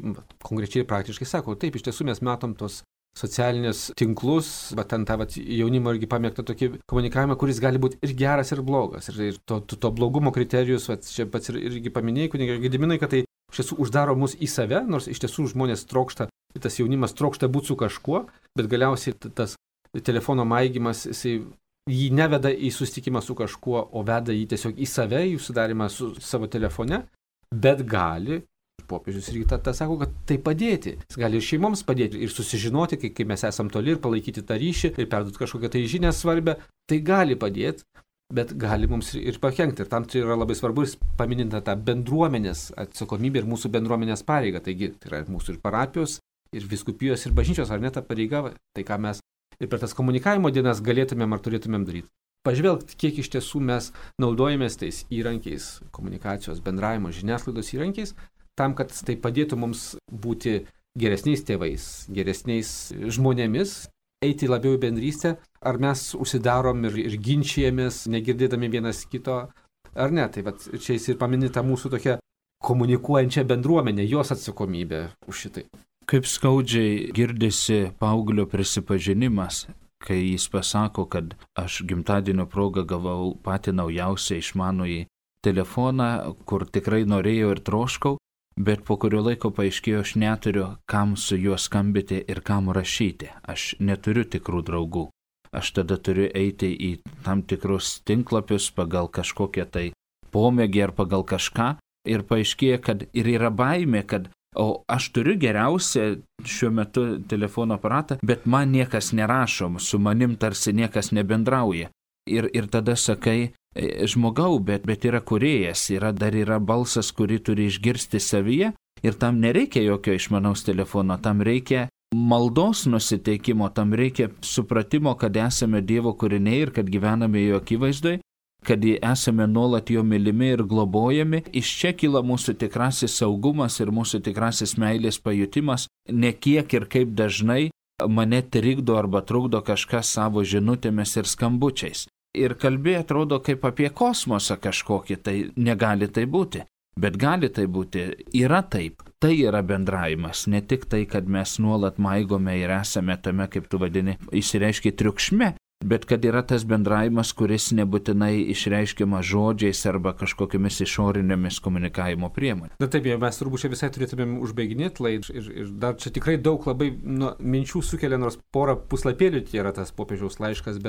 konkrečiai ir praktiškai sako, taip, iš tiesų mes matom tos socialinės tinklus, bet ten tą jaunimo irgi pamėgtą tokį komunikavimą, kuris gali būti ir geras, ir blogas. Ir to blogumo kriterijus, čia pats irgi paminėjai, kunigas Gediminai, kad tai iš tiesų uždaro mus į save, nors iš tiesų žmonės trokšta, tas jaunimas trokšta būti su kažkuo, bet galiausiai tas telefono maigymas, jį neveda į susitikimą su kažkuo, o veda jį tiesiog į save, į sudarimą su savo telefone, bet gali, popiežius irgi tą sako, kad tai padėti. Jis gali ir šeimoms padėti, ir susižinoti, kai mes esam toli, ir palaikyti tą ryšį, ir perduoti kažkokią tai žinią svarbę, tai gali padėti, bet gali mums ir pakenkti. Ir tam tai yra labai svarbu, paminint tą bendruomenės atsakomybę ir mūsų bendruomenės pareigą. Taigi, tai yra mūsų ir parapijos, ir vyskupijos, ir bažnyčios, ar ne ta pareiga, tai ką mes ir per tas komunikavimo dienas galėtumėm ar turėtumėm daryti. Pažvelgti, kiek iš tiesų mes naudojamės tais įrankiais, komunikacijos, bendravimo, žiniasklaidos įrankiais, tam, kad tai padėtų mums būti geresniais tėvais, geresniais žmonėmis, eiti labiau į bendrystę, ar mes užsidarom ir ginčijamės, negirdėdami vienas kito, ar ne. Tai vat, čia jis ir paminėta mūsų tokia komunikuojančia bendruomenė, jos atsakomybė už šitai. Kaip skaudžiai girdisi paauglio prisipažinimas, kai jis pasako, kad aš gimtadienio progą gavau patį naujausią išmanųjį telefoną, kur tikrai norėjau ir troškau, bet po kurio laiko paaiškėjo, aš neturiu kam su juo skambyti ir kam rašyti. Aš neturiu tikrų draugų. Aš tada turiu eiti į tam tikrus tinklapius pagal kažkokią tai pomėgį ar pagal kažką ir paaiškėjo, kad ir yra baimė, kad o aš turiu geriausią šiuo metu telefono aparatą, bet man niekas nerašo, su manim tarsi niekas nebendrauja. Ir tada sakai, žmogau, bet yra kūrėjas, dar yra balsas, kurį turi išgirsti savyje ir tam nereikia jokio išmanaus telefono, tam reikia maldos nusiteikimo, tam reikia supratimo, kad esame Dievo kūriniai ir kad gyvename jo akivaizdoj, kad esame nuolat jo mylimi ir globojami. Iš čia kyla mūsų tikrasis saugumas ir mūsų tikrasis meilės pajutimas, ne kiek ir kaip dažnai mane trikdo arba trukdo kažkas savo žinutėmis ir skambučiais. Ir kalbė atrodo kaip apie kosmosą kažkokį, tai negali tai būti. Bet gali tai būti, yra taip, tai yra bendravimas, ne tik tai, kad mes nuolat maigome ir esame tame, kaip tu vadini, išsireiškia triukšme, bet kad yra tas bendravimas, kuris nebūtinai išreiškiama žodžiais arba kažkokiamis išorinėmis komunikavimo priemonėmis. Na taip, mes turbūt čia visai turėtumėm užbaiginėti laidą ir dar čia tikrai daug labai minčių sukelia, nors porą puslapėlių tai yra tas popiežiaus laiškas,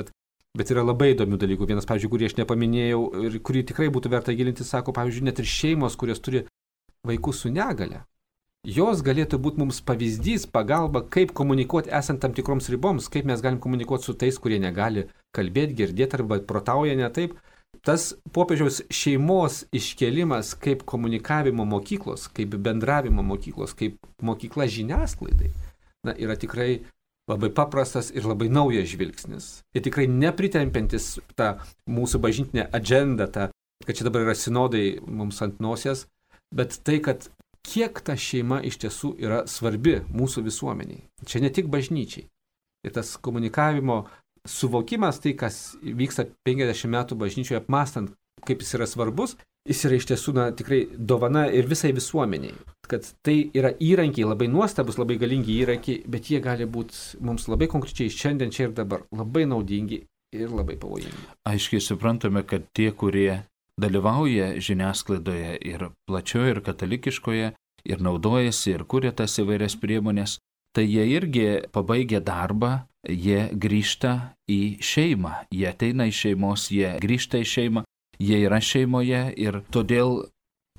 bet yra labai įdomių dalykų. Vienas, pavyzdžiui, kurį aš nepaminėjau ir kurį tikrai būtų verta gilinti, sako, pavyzdžiui, net ir šeimos, kurios turi vaikus su negale. Jos galėtų būti mums pavyzdys, pagalba, kaip komunikuoti esant tam tikroms riboms, kaip mes galim komunikuoti su tais, kurie negali kalbėti, girdėti arba protauja ne taip. Tas popiežiaus šeimos iškėlimas kaip komunikavimo mokyklos, kaip bendravimo mokyklos, kaip mokykla žiniasklaidai, yra tikrai labai paprastas ir labai naujas žvilgsnis. Ir tikrai nepritempiantis tą mūsų bažnytinę agendą, kad čia dabar yra sinodai mums ant nosies, bet tai, kad kiek ta šeima iš tiesų yra svarbi mūsų visuomeniai. Čia ne tik bažnyčiai. Ir tas komunikavimo suvokimas, tai kas vyksta 50 metų bažnyčioje, apmąstant, kaip jis yra svarbus, jis yra iš tiesų tikrai dovana ir visai visuomeniai. Kad tai yra įrankiai, labai nuostabus, labai galingi įrankiai, bet jie gali būti mums labai konkrečiai šiandien, čia ir dabar, labai naudingi ir labai pavojingi. Aiškiai suprantame, kad tie, kurie dalyvauja žiniasklaidoje ir plačioje, ir katalikiškoje, ir naudojasi, ir kuria tas įvairias priemonės, tai jie irgi pabaigia darbą, jie grįžta į šeimą, jie ateina iš šeimos, jie grįžta į šeimą, jie yra šeimoje ir todėl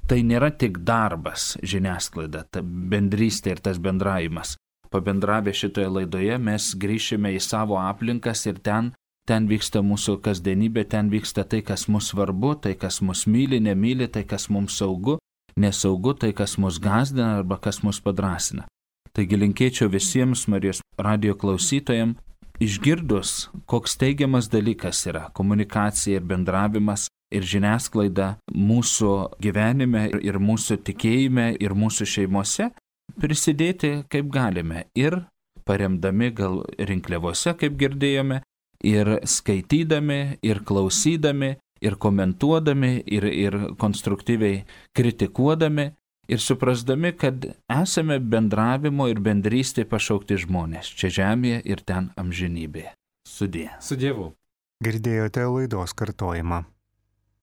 tai nėra tik darbas žiniasklaida, ta bendrystė ir tas bendravimas. Pabendravę šitoje laidoje mes grįšime į savo aplinkas ir ten vyksta mūsų kasdienybė, ten vyksta tai, kas mus svarbu, tai, kas mus myli, nemyli, tai, kas mums saugu, nesaugu, tai, kas mus gąsdina arba kas mus padrasina. Taigi linkėčiau visiems Marijos radijo klausytojams, išgirdus, koks teigiamas dalykas yra komunikacija ir bendravimas ir žiniasklaida mūsų gyvenime ir mūsų tikėjime ir mūsų šeimose, prisidėti kaip galime ir paremdami gal rinkliavose, kaip girdėjome, ir skaitydami, ir klausydami, ir komentuodami, ir konstruktyviai kritikuodami, ir suprasdami, kad esame bendravimo ir bendrystė pašaukti žmonės čia žemėje ir ten amžinybėje. Sudie. Su Dievu. Girdėjote laidos kartojimą.